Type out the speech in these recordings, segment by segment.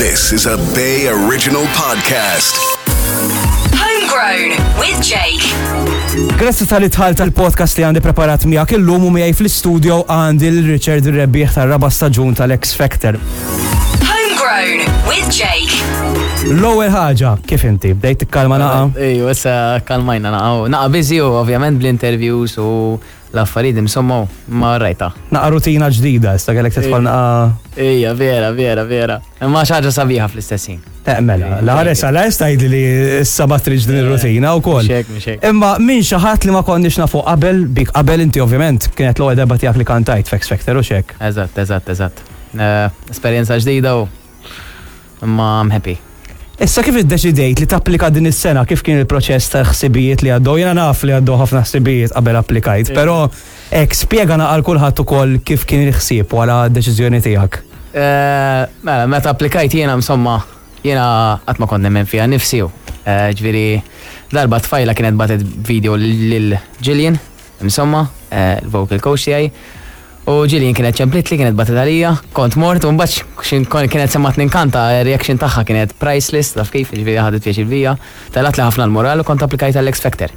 This is a Bay Original Podcast. Homegrown with Jake. Grazzi tal dħalt tal-podcast li għandi preparat miegħek illum u miegħi fl-istudio għandi l-Richard Rebbieħ tar-raba' staġun tal-X Factor. Homegrown with Jake. L-ewwel ħaġa, kif inti? Bdejt tikkalma naqa? Ejju, issa kalmajna naqa. Naqa busy u ovvjament bl-interviews u l-affarijiet insomma ma rajta. Naqa rutina ġdida, issa kellek tidħol naqa. Ejja, vera, vera, vera. Imma xi ħaġa sabiħa fl-istess ħin. Eh, mela, la ħares għal tgħidli li issa ma tridx din ir-rutina wkoll. Mhux hekk, mhux hekk. Imma minn xi ħadd li ma konniex nafu qabel, bik qabel inti ovvjament kienet l-ewwel darba tiegħek li kantajt f'X Factor u xek. Eżatt, eżatt, eżatt. Eh, Esperjenza ġdida u imma I'm happy. Issa kif iddeċidejt li tapplika din is-sena, kif kien il-proċess ta' ħsibijiet li għaddew? Jiena naf li għaddew ħafna ħsibijiet qabel applikajt, però hekk spjega naqal kulħadd ukoll kif kien il-ħsieb wara d-deċiżjoni tiegħek. Eh, Mela, meta applikajt jiena insomma, jiena qatt ma kont nemmen fiha nifsi u. Eh, Ġifieri darba tfajla kienet batet video lil Gillian, insomma, eh, il-vocal coach tiegħi. U Gillian kienet ċemplitli, kienet batet għalija, kont mort, u mbagħad xin kienet semmat ninkanta, reaction tagħha kienet priceless, taf kif, ġifieri ħadet pjaċir bija, telat li ħafna l-moral u kont applikajt għall-X Factor.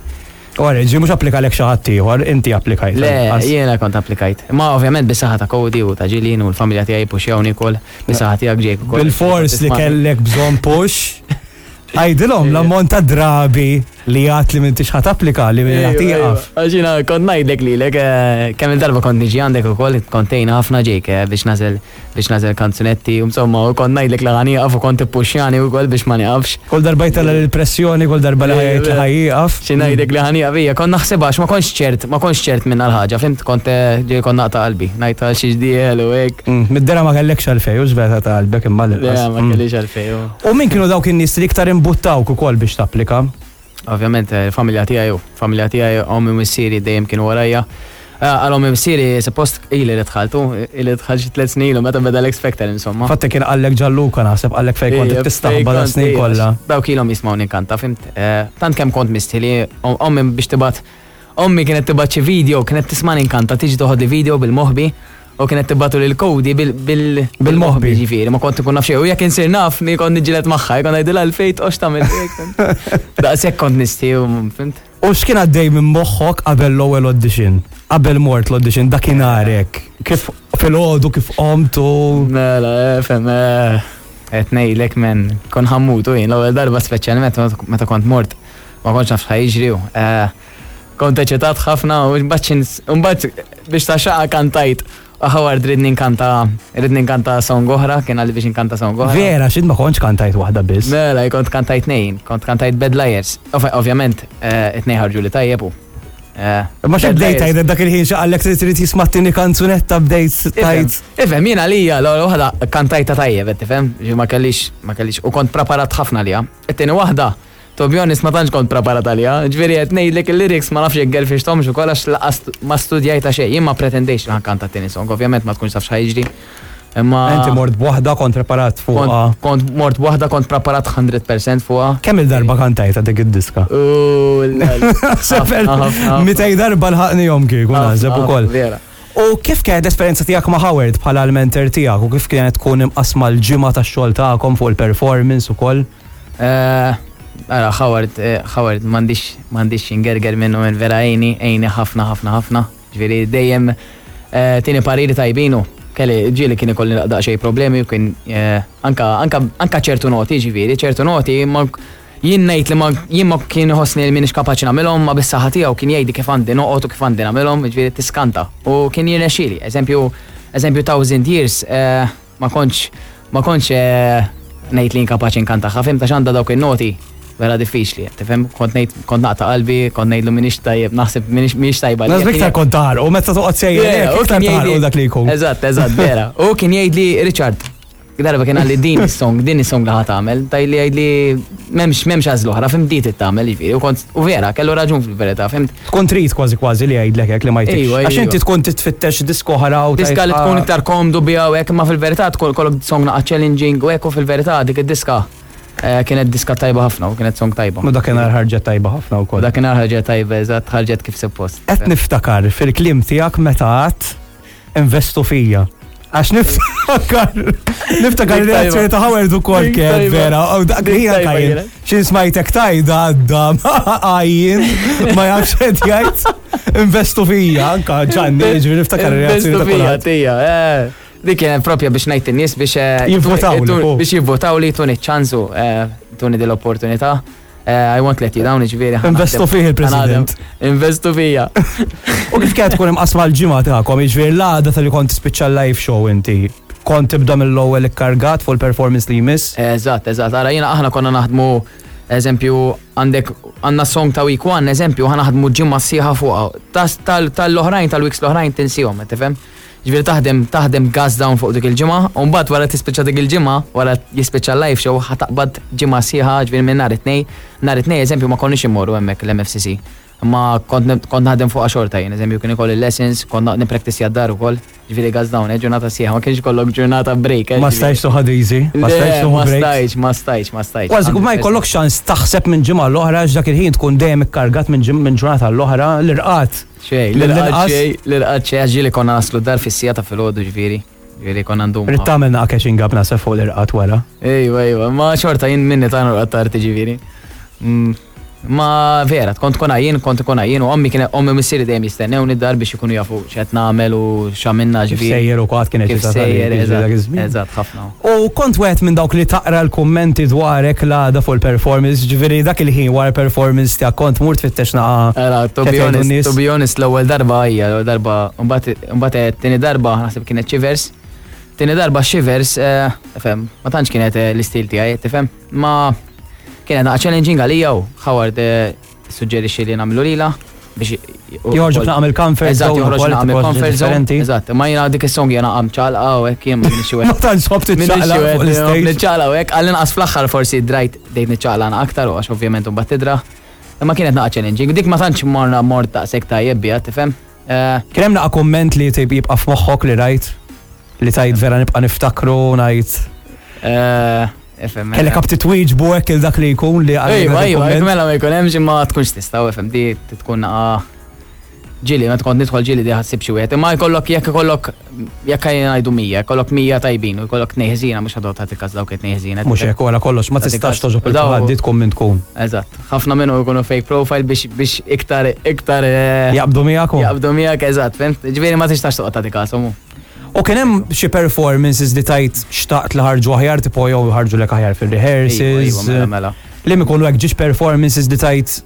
Ora, ġi mhux applika lek xi ħadd ieħor, inti applikajt. Le, jiena kont applikajt. Ma ovvjament bis-saħħa ta' Cody u ta' Gillian u l-familja tiegħi puxjawni wkoll, bis-saħħa tiegħek Jake ukoll. Bil-fors li kellek bżonn push. Għajdilhom l-ammont ta' drabi li għat li m'intix ħat applika li minn ħat tieqaf. Għaxina, kont ngħidlek lilek, eh, kemm il-darba kont niġi għandek ukoll, kont tgħinna ħafna Jake eh, biex nażel biex nażel kanzunetti, u insomma, u kont ngħidlek li ħa nieqaf u kont tippuxjani wkoll biex ma nieqafx. Kull darba jtella l-pressjoni, kull darba li ħajjt li ħajjieqaf. Xi ngħidlek li ħa nieqaf hija, kont naħsibha għax ma kontx ċert, ma kontx ċert minn ħaġa, fimt kont eh, ġej kont naqta' qalbi, ngħid għal xi ġdiel u hekk. Mm, Mid-dera ma kellekx għalfej, u xveta ta' qalbek imma Le, l-inqas. ma kellix għalfej. u. U min kienu dawk in-nies li iktar imbuttawk ukoll biex tapplika? Ovvjament, eh, familja tiegħi u familja tiegħi ommi u missieri dejjem kienu warajja. Eh, Għal ommi u missieri suppost ili li dħaltu, ili dħal xi tliet snin ilu meta beda l-X Factor insomma. Fatta kien qallek Gianluca naħseb qallek fejn kont Ija, tistaħba fejn da kont, snin ija, kollha. Dawk ilhom jismgħu ninkanta, fimt? Eh, Tant kemm kont mistili, ommi biex tibgħat ommi kienet tibgħat xi video, kienet tisma' ninkanta, tiġi toħodli video bil-moħbi u kienet tibgħatu lil Cody Bil-moħbi. Ġifieri, ma kont ikun naf xejn. U jekk insir naf, ni kont niġġieled magħha, kont ngħidilha l-fejt ox tagħmel hekk. Daqshekk kont nisti, u fimt? U x'kien għaddej minn moħħok qabel l-ewwel audition? Qabel mort l-audition dakinhar hekk. Kif filgħodu kif qomt u Mela, eh, fem, eh, qed ngħidlek men, kon ħammutu jien l-ewwel darba speċjalment meta kont mort, ma kontx naf x'ħa jiġri u, eh, Kont eċitat ħafna u mbagħad x'ins- u mbagħad biex ta' xaqa kantajt. U Howard ridni nkanta, ridni nkanta song oħra, kien għalli biex nkanta song oħra. Vera, x'int ma kontx kantajt waħda biss. Mela, kont kantajt nejn, kont kantajt Bad Liars. Ov- Ovvjament, eh, it-nej ħarġu li tajjeb u. eh, Ma xi Bad bdejt Liars. tgħid dak il-ħin xi qallek trid trid jisma' t-tieni kanzunetta bdejt tgħid. Ifhem, jiena lija l-ewwel waħda kantajta tajjeb, qed tifhem, ġi ma kellix, ma kellix, u kont preparat ħafna lija. It-tieni waħda, to be honest, ma tantx kont preparat għalija. Ġifieri qed ngħidlek il-lyrics ma nafx jekk gelfixthomx ukoll għax laqas ma studjajta xejn. Jien ma pretendejx li ħankanta t-tieni song, ovvjament ma tkunx taf x'ħa jiġri. Imma Inti mort b'waħda kont preparat fuqha. kont, kont mort waħda kont preparat 100% fuqha. Kemm il-darba kantajta dik id-diska? U Sefer, 200 darba l-ħaqnihom kieku naħseb ukoll. Vera. U kif kienet l-esperjenza tiegħek ma' Howard bħala l-mentor tiegħek u kif kienet tkun imqasma l-ġimgħa tax-xogħol tagħkom fuq il-performance ukoll? Eh, Ara, Howard, eh, Howard, m'għandix m'għandix ingerger minnu minn vera għejni, għejni ħafna, ħafna, ħafna. Ġifieri dejjem eh, tieni pariri tajbinu. Kelli ġieli kien ikolli daqsxejn problemi u kien eh, anka anka anka ċertu noti, ġifieri, ċertu noti ma jien ngħid li ma jien ma kien iħossni li m'iniex kapaċi nagħmilhom, ma bis-saħħa tiegħu kien jgħidi kif għandi noqgħod u kif għandi nagħmilhom, ġifieri tiskanta. U kien jirnexxieli. Eżempju, eżempju Thousand Years, eh, ma kontx ma kontx eh, ngħid li inkapaċi nkantaha, fim ta' x'għandha dawk in-noti vera diffiċli, tifhem? Kont ngħid kont naqta' qalbi, kont ngħidlu m'iniex tajjeb, naħseb m'iniex m'iniex tajba. Naħseb iktar kont taħarqu, meta toqgħod sejjer hekk, iktar taħarqu dak li jkun. Eżatt, eżatt, vera. U kien jgħidli Richard, darba kien għalli din is-song, din is-song li ħa tagħmel, tajli jgħidli m'hemmx m'hemmx għażla oħra, fim di trid tagħmel jiġifieri, u kont u vera, kellu raġun fil-verità, fimt? Tkun trid kważi kważi li jgħidlek hekk li ma jtikx. Ejwa, Għax ejwa. inti tkun titfittex diska oħra u Diska li tgħid, tkun "Ah, iktar komdu biha u hekk, imma fil-verità tkun kollok song naqa challenging u hekk u fil-verità dik id-diska eh, kienet diska tajba ħafna u kienet song tajba. U dakinhar ħarġet tajba ħafna U wkoll. dakinhar ħarġet tajba, eżatt, ħarġet kif suppost. Qed niftakar fil-kliem tiegħek meta għadt investu fija. Għax niftakar, niftakar il-reazzjoni ta' Howard u kol kien vera, u dak li jina kajn. Xin smajtek tajda għadda, għajjin, ma jafx qed jgħid, investu fija, anka ġanni, ġifieri niftakar il-reazzjoni ta' fija, tija, eh. Dik kienet propja biex ngħid in-nies biex eh, jivvotaw biex jivvotaw li tuni ċansu eh, tuni dil-opportunità. Eh, I won't let you down, ġifieri. Investu fih il-President. Investu fija. U kif kienet tkun imqasma l-ġimgħa tagħkom, jiġifieri l-għada tal-li kont tispiċċa live show inti, kont tibda mill-ewwel ikkargat fuq il-performance li jmiss? Eżatt, eżatt. Ara jiena aħna konna naħdmu eżempju għandek għandna song ta' week one, eżempju, ħa naħdmu ġimgħa sieħa fuqha. Tal-oħrajn tal-weeks l-oħrajn tinsihom, tifhem? Ġifieri taħdem taħdem gas down fuq dik il-ġimgħa, u mbagħad wara tispiċċa dik il-ġimgħa, wara jispiċċa l-live show, ħa taqbad ġimgħa sħiħa, ġifieri minn nhar it-Tnejn, nhar it-Tnejn eżempju ma konniex immorru hemmhekk l-MFCC. Imma kont kont naħdem fuqha xorta jien, eżempju kien ikolli lessons, kont nippraktissja d-dar ukoll, ġifieri gas down, eh, ġurnata sħiħa, ma kienx ikollok ġurnata break. Eh, ma stajtx toħod easy, ma stajtx tieħu break. Ma stajtx, ma stajtx, ma stajtx. Kważi ma jkollokx ċans taħseb minn ġimgħa l-oħra għax dak il-ħin tkun dejjem ikkargat minn ġurnata l-oħra l-irqad. Xej, l-inqas. Xej, l-irqad xej, għax ġieli konna naslu dar fis-sija ta' filgħodu ġifieri. Ġifieri konna ndum. Rrid tagħmel naqa' catching up naħseb fuq l-irqad wara. Ejwa, ejwa, ma xorta jien minni ta' norqad tard ġifieri. Mm, ma vera, kont tkun għajjien, kont ikun għajjien u ommi kienet ommi missieri dejjem jistennewni d-dar biex ikunu jafu x'qed nagħmel u x'għamilna ġifieri. Sejjer u kwaad kienet Kif sejjer, eżatt, ħafna. U kont wieħed minn dawk li taqra l-kummenti dwarek l-għada fuq il-performance, ġifieri dak il-ħin wara l-performance tiegħek kont mur tfittex naqa' Ara, to be honest, to be honest, l-ewwel darba hija, l-ewwel darba, mbagħad eh, tieni darba naħseb kienet Shivers. Tieni darba Shivers, eh, fem, ma tantx kienet eh, l-istil tiegħi, tifhem? Ma kienet naqa' challenging għalija u Howard Suġġerixxi li nagħmlu lilha biex Joħorġu naqam il-comfort zone. Joħroġ naqam il-comfort zone. Eżatt, ma jiena dik is-song jiena qam ċalqa u hekk jien ma minix Ma tantx ħobb tiċċaqla fuq l-istage. Niċċaqla u hekk għall-inqas fl-aħħar forsi drajt dejt niċċaqla aktar u għax ovvjament imbagħad tidra. Imma kienet naqa' challenging. Dik ma tantx morna mort daqshekk tajjeb biha, tifhem? Eh, Kien hemm naqa' kumment li jibqa' f'moħħok li rajt li tajt vera nibqa' niftakru ngħid. Eh, Kellek għab titwieġbu hekk il dak li jkun li għal. Ejwa, ejwa, mela ma jkun hemmx imma tkunx tista' FM di tkun naqa' ġili, meta kont nidħol ġili di ħassib xi wieħed. Imma jkollok jekk ikollok jekk ngħidu 100, jkollok 100 tajbin u jkollok tnej ħżiena mhux ħadot tagħti każ dawk it-tnej ħżiena. Mhux hekk wara kollox ma tistax toġob il-ħadd di tkun min tkun. Eżatt. Ħafna minnhom ikunu fake profile biex biex iktar iktar eh, jaqbdu miegħek. Jaqbdu miegħek eżatt, fimt? Ġifieri ma tistax toqgħod tagħti każ U kien hemm xi performances li tajt xtaqt li ħarġu aħjar tipo jew ħarġu lek aħjar fir-rehearsals. Mela, mela. Li mikunu hekk ġiex performances li tajt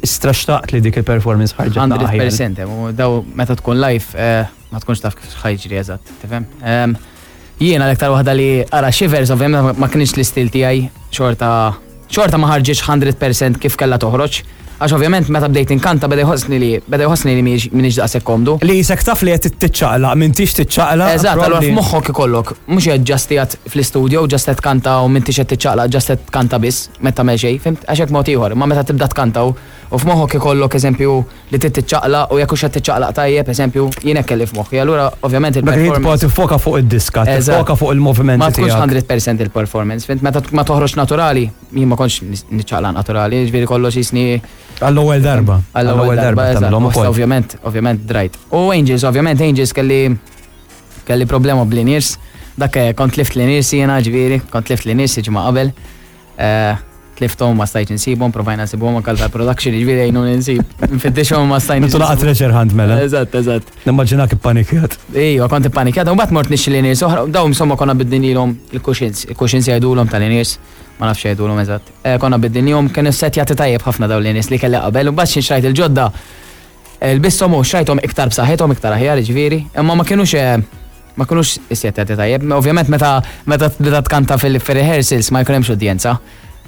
istra xtaqt li dik il-performance ħarġet. 100% u daw meta tkun live eh, ma tkunx taf kif ħajġri eżatt, tifhem? Ehm, jiena l-iktar waħda li ara Shivers ovvjament ma kienx l-istil tiegħi xorta xorta ma ħarġitx 100% kif kellha toħroġ. Għax ovvjament meta bdejt inkanta beda jħossni li beda jħossni li m'iniex daqshekk komdu. Li jisek taf li qed tiċċaqlaq, m'intix tiċċaqlaq. Eżatt, allura f'moħħok ikollok mhux qed ġast qiegħed fl-istudio, ġast qed tkanta u m'intix qed tiċċaqlaq, ġast qed tkanta biss, meta tagħmel xejn, fimt? Għax hekk mod ieħor, imma meta tibda tkanta u f'moħħok ikollok eżempju li trid tiċċaqlaq u jekk hux qed tiċċaqlaq tajjeb, eżempju, jien hekk kelli f'moħħi. Allura ovvjament il-performance. Tiffoka fuq id-diska, tiffoka fuq il-movimenti. Ma tkunx 100% il-performance, fint meta ma toħroġ naturali, jien ma kontx niċċaqlaq naturali, ġifieri kollox jisni. Għall-ewwel darba. Għall-ewwel darba, tagħmilhom ukoll. Ovvjament, ovvjament drajt. U Angels, ovvjament Angels kelli kelli problema bl-inirs. Dak eh, kont lift l-inirs jiena ġifieri, kont lift l-inirs ġimgħa qabel. Eh, tlifthom ma stajtx insibhom, provajna nsibhom anke tal-production, jiġifieri jgħinu insib. Nfittixhom ma stajt. Intu laqgħa treasure hunt mela. Eżatt, eżatt. Nimmaġinak ippanikjat. Ejwa, kont ippanikjat, u mbagħad mort nixxi l-nies oħra, daw insomma konna biddinilhom il-cushions, il-cushions jgħidulhom tal-nies, ma nafx jgħidulhom eżatt. Eh, konna biddinihom kienu setjati tajjeb ħafna daw l-nies li kelli qabel, u mbagħad xi xrajt il-ġodda Lbisthom u xrajthom iktar b'saħħithom, iktar aħjar, jiġifieri, imma ma kinux eh, ma kinux issettjati tajjeb. Ovvjament meta meta tibda tkanta fil-rehearsals ma jkun hemmx udjenza.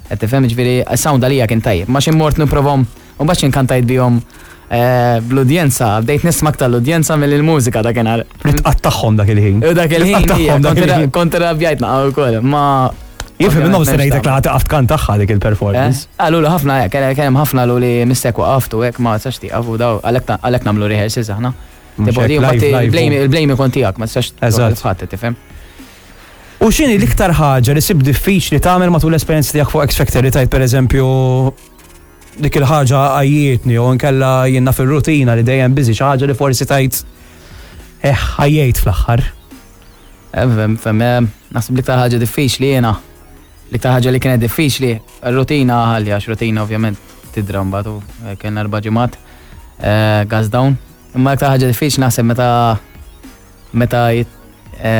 Qed tifhem jiġifieri s-sound għalija kien tajjeb. Ma xi mort nippruvhom u mbagħad xi nkantajt bihom eh, bl-udjenza, bdejt nisma' aktar l-udjenza mill-mużika dakinhar. Li tqattagħhom dak il-ħin. U dak il-ħin, kont irrabjajt naqgħu wkoll. Ma Jifhem minnhom se ngħidlek li ħadd tkant tagħha dik il-performance. Eh? Qalu li ħafna hekk, kien hemm ħafna lu li mistek waqaftu hekk ma tistax tieqaf u daw għalhekk nagħmlu rehearsals aħna. Il-blame ikun tiegħek ma tistax ħadd tifhem. U x'inhi l-iktar ħaġa li sib diffiċli tagħmel matul l-esperjenza tiegħek fuq X Factor li tajt pereżempju dik il-ħaġa għajjietni u nkella jiena fir-rutina li dejjem biżi xi ħaġa li forsi tajt eh ħajjejt fl-aħħar. Fem, naħseb l-iktar ħaġa diffiċli jiena, l-iktar ħaġa li kienet diffiċli, rutina ħalli għax rutina ovvjament tidra mbagħad u kellna erba' ġimgħat gas down. Imma l-iktar ħaġa diffiċli naħseb meta meta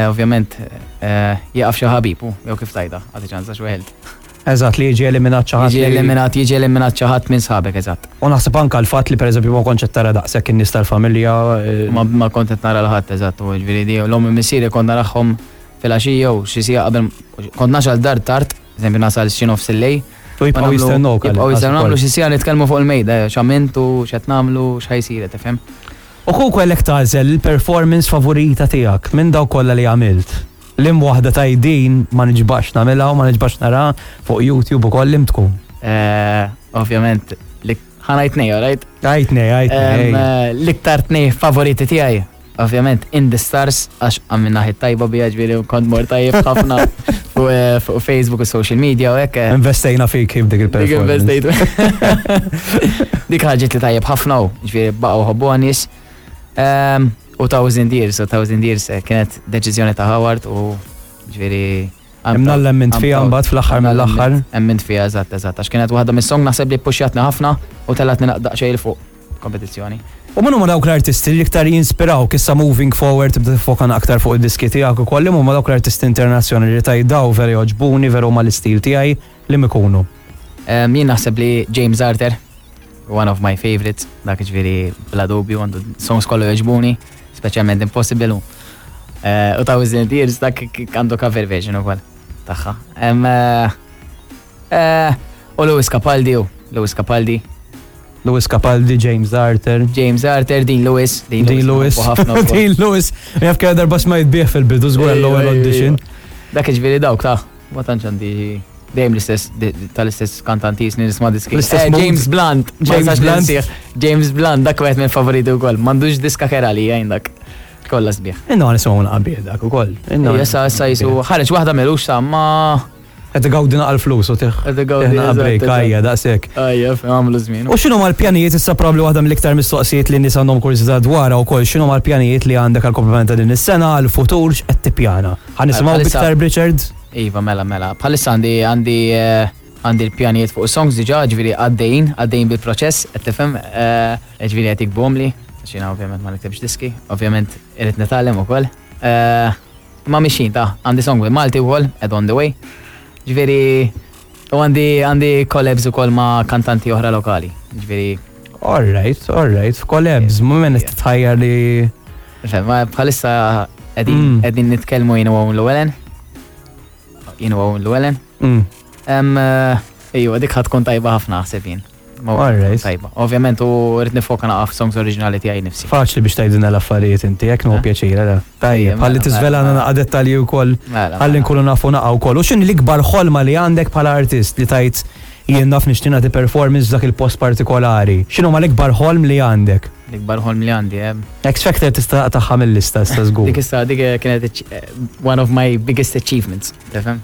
ovvjament jieqaf xi ħabib u jew kif tajda, għati ċans għax weħilt. Eżatt, li jiġi eliminat xi ħadd. Jiġi eliminat, jiġi eliminat xi ħadd minn sħabek, eżatt. U naħseb anke l-fatt li pereżempju ma kontx qed tara daqshekk in-nies tal-familja. Ma kont qed nara l-ħadd, eżatt, u ġifieri di l-omm u missieri kont narahom filgħaxija u xi siegħa qabel kont nasal dar tard, eżempju nasal xi nofs il-lejl. U jibqgħu jistennewk. Jibqgħu jistennew nagħmlu xi siegħa nitkellmu fuq il-mejda, x'għamilt u x'qed nagħmlu, x'ħa jsir, tifhem. U kieku kellek tagħżel il-performance favorita tiegħek minn dawk kollha li għamilt? Liem waħda tgħid din ma niġbax nagħmilha u ma niġbax naraha fuq YouTube ukoll liem tkun? Ovvjament, ħa ngħid tnej, alright? Għid tnej, għid tnej. L-iktar tnej favoriti tiegħi, ovvjament, In the Stars, għax għamilna ħit tajba bija ġifieri kont mort tajjeb ħafna fuq Facebook u social media u hekk. Investejna fik kif dik il-performance. Dik investejt. Dik ħarġet li tajjeb ħafna u ġifieri baqgħu ħobbuha nies. U Thousand Years, u Thousand Years eh, kienet deċiżjoni ta' Howard u ġifieri. Imnalla emmint fiha mbagħad fl-aħħar mill-aħħar. Emmint fiha, eżatt, eżatt, għax kienet waħda mis-song naħseb li puxjatni ħafna u tellatni daqsxejn 'il fuq kompetizzjoni. U min huma dawk l-artisti li iktar jinspirawk issa moving forward tibda tiffoka aktar fuq id-diski tiegħek ukoll, liema huma dawk l-artisti internazzjonali li tgħid daw vera jogħġbuni, vera huma l-istil tiegħi, liema ikunu? Jien naħseb li James Arthur, one of my favorites, dak ġifieri bla dubju għandu songs kollu jogħġbuni, speċjalment Impossible u eh, u Thousand Years dak għandu cover version ukoll tagħha. Eh, eh, u Lewis Capaldi u Lewis Capaldi. Lewis Capaldi, James Arthur. James Arthur, Dean Lewis. Dean Lewis. Dean Lewis. Jaf kien darba smajt bih fil-bidu żgur l-ewwel audition. Dak ġifieri dawk ta' ma tantx għandi dejjem l-istess tal-istess kantanti jisni nisma' diski. L-istess eh, James Blunt. James Blunt. James Blunt, dak wieħed minn favoriti wkoll. M'għandux diska kera li jgħin dak. Kollha sbieħ. Inna nisimgħu naqbih dak ukoll. Issa issa jisu ħareġ waħda melux sa ma Qed igawdi naqal flus u tiħ. Qed igawdi break ajja daqshekk. Ajja, għamlu żmien. U x'inhu mal-pjanijiet issa probabbli waħda mill-iktar mistoqsijiet li n-nies għandhom kurżità dwarha wkoll x'inhu mal-pjanijiet li għandek għall-komplement ta' din is-sena, għall-futur x'qed tippjana? Ħa nisimgħu b'iktar b'Richard? Iva, mela, mela. Bħalissa għandi għandi eh, għandi l-pjanijiet fuq songs diġà, ġifieri għaddejjin, għaddejjin bil-proċess, qed tifhem, eh, ġifieri qed jikbhomli, għax jiena ovvjament ma niktibx diski, ovvjament irid nitgħallem ukoll. Eh, Ma mixin ta' għandi song with Malti wkoll, Ed on the way. Ġifieri u għandi għandi collabs ukoll ma' kantanti oħra lokali. Ġifieri. All right, all right, collabs, ma minn titħajjar li. Ma bħalissa qegħdin mm. qegħdin nitkellmu jien u Llewellyn. Jien u Llewellyn. Mm. Eh, ejwa, dik ħatkun tajba ħafna ħseb jien. Alright. Tajba. Ovvjament u rrid nifoka naqaf songs oriġinali tiegħi nifsi. Faċli biex tgħidilna l-affarijiet inti, jekk nieħu eh? pjaċir, ara. Tajjeb, ħalli mela, tiżvelana mela. naqa' dettalji wkoll. Mela, ħalli nkunu nafu naqa' wkoll. U x'inhi l-ikbar ħolma li għandek bħala artist li tajt jien naf nixtieq nagħti performance f'dak il-post partikolari. X'inhuma l-ikbar ħolm li għandek? L-ikbar ħolm li għandi, eh? X Factor tista' taqtagħha mill-lista issa żgur. Dik issa dik kienet eh, one of my biggest achievements, tifhem?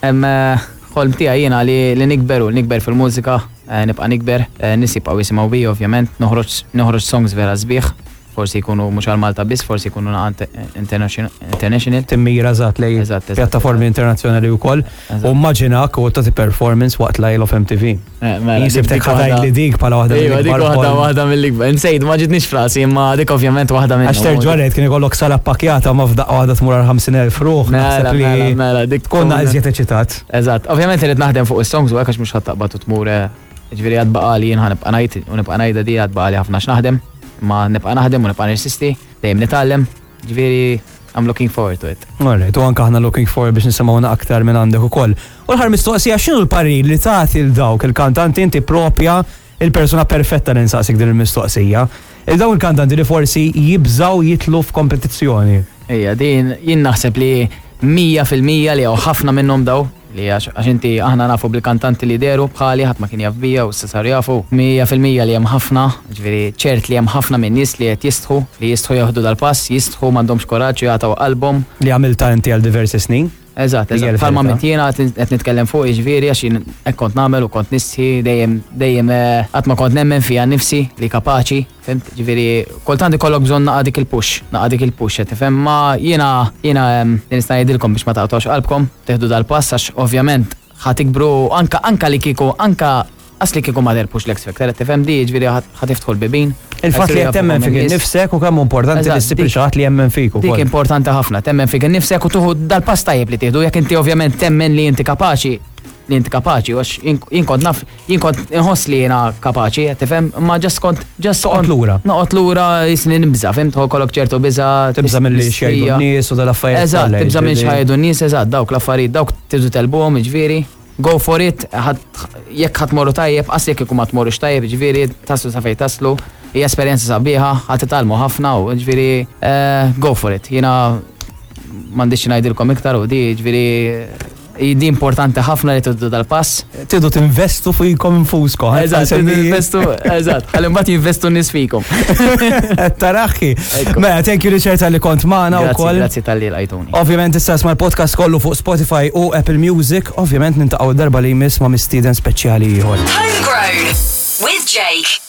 Hemm eh, ħolm tiegħi jiena li, li nikber u nikber fil-mużika, eh, nibqa' nikber, eh, nies jibqgħu jisimgħu bija ovvjament, noħroġ noħroġ songs vera sbieħ, forsi jkunu mhux għal Malta biss, forsi jkunu naqa international. Timmira eżatt lej pjattaformi internazzjonali wkoll. U immaġinak u tagħti performance waqt l-Isle of MTV. Eh, mela, Jien sibtek ħatajt li dik bħala waħda mill-ikbar. Dik waħda waħda mill-ikbar. Nsejt, ma ġitniex frasi, imma dik ovvjament waħda mill Għax terġa' rejt kien ikollok sala ppakjata ma f'daqqa waħda tmur għal 50,000 ruħ. Mela, mela, mela, dik tkun iżjed eċitat. Eżatt. Ovvjament irid naħdem fuq is-songs u hekk għax mhux ħadd taqbad u tmur eh, ġifieri għad baqali jien ħanibqa' ngħid u nibqa' ngħidha di għad baqali ħafna x'naħdem, ma nibqa' naħdem u nibqa' nirsisti, dejjem nitgħallem. Ġifieri I'm looking forward to it. Alright, u anke aħna looking forward biex nisimgħu aktar minn għandek ukoll. U l-aħħar mistoqsija x'inhu l-parir li tagħti l dawk il-kantanti inti propja il-persuna perfetta li nsaqsik din il-mistoqsija. Il dawn il-kantanti li forsi jibżgħu jitlu f'kompetizzjoni. Ejja, din jien naħseb li 100% li hawn ħafna minnhom daw Li għax għax inti aħna nafu bil-kantanti li dehru bħali ħadd ma kien jaf bija u issa saru jafu. 100% li hemm ħafna, ġifieri ċert li hemm ħafna minn nies li qed jistħu, li jistħu jieħdu dal-pass, jistħu m'għandhomx kuraġġ u jagħtaw qalbhom. Li għamiltha inti għal diversi snin. Eżatt, eżatt. Bħalma għamilt jiena qed nitkellem fuq jiġifieri għax jien hekk kont nagħmel u kont nistħi dejjem dejjem eh, qatt ma kont nemmen fija nnifsi li kapaċi, fhimt? Ġifieri kultant ikollok bżonn naqa' dik il-push, naqa' dik il-push qed tifhem, ma jiena jiena li nista' ngħidilkom biex ma taqtgħux qalbkom, tieħdu dal-pass għax ovvjament ħa tikbru anka anka li kieku anka Qas li kieku ma terbħux l-X Factor, qed tifhem di, jiġifieri ħa tiftħu l-bibien. Il-fatt li qed temmen fik innifsek u kemm hu importanti li ssib lil xi ħadd li jemmen fik ukoll. Dik importanti ħafna, temmen fik innifsek u tieħu dal-pass tajjeb li tieħdu jekk inti ovvjament temmen li inti kapaċi li inti kapaċi, għax jien kont naf, jien kont inħoss li jiena kapaċi, qed tifhem, imma ġast kont ġast Toqgħod lura. Noqgħod lura jisni nibża', fhimt, ikollok ċertu biża'. Tibża' milli x'jgħidu n-nies u dal-affarijiet. Eżatt, tibża' minn x'ħajdu n-nies, eżatt, dawk l-affarijiet, dawk tridu tegħlbuhom, jiġifieri. Go for it, jekk ħa tmorru tajjeb, qas jekk ikun ma tmorrux tajjeb, jiġifieri taslu sa fejn taslu, hija esperjenza sabiħa, ħa titgħallmu ħafna u jiġifieri eh, go for it. Jiena m'għandix xi ngħidilkom iktar u di jiġifieri di importanti ħafna li tiddu dal-pass. Tidu tinvestu fikom infuskom. Eżatt, tinvestu, eżatt, ħalli mbagħad jinvestu n-nies fikom. Taraħi. Mela, thank you Richard tal-li kont magħna wkoll. Grazzi tal-li lqajtuni. Ovvjament issa isma' l-podcast kollu fuq Spotify u Apple Music. Ovvjament nintaqgħu darba li jmiss ma' mistieden speċjali ieħor. Homegrown with Jake.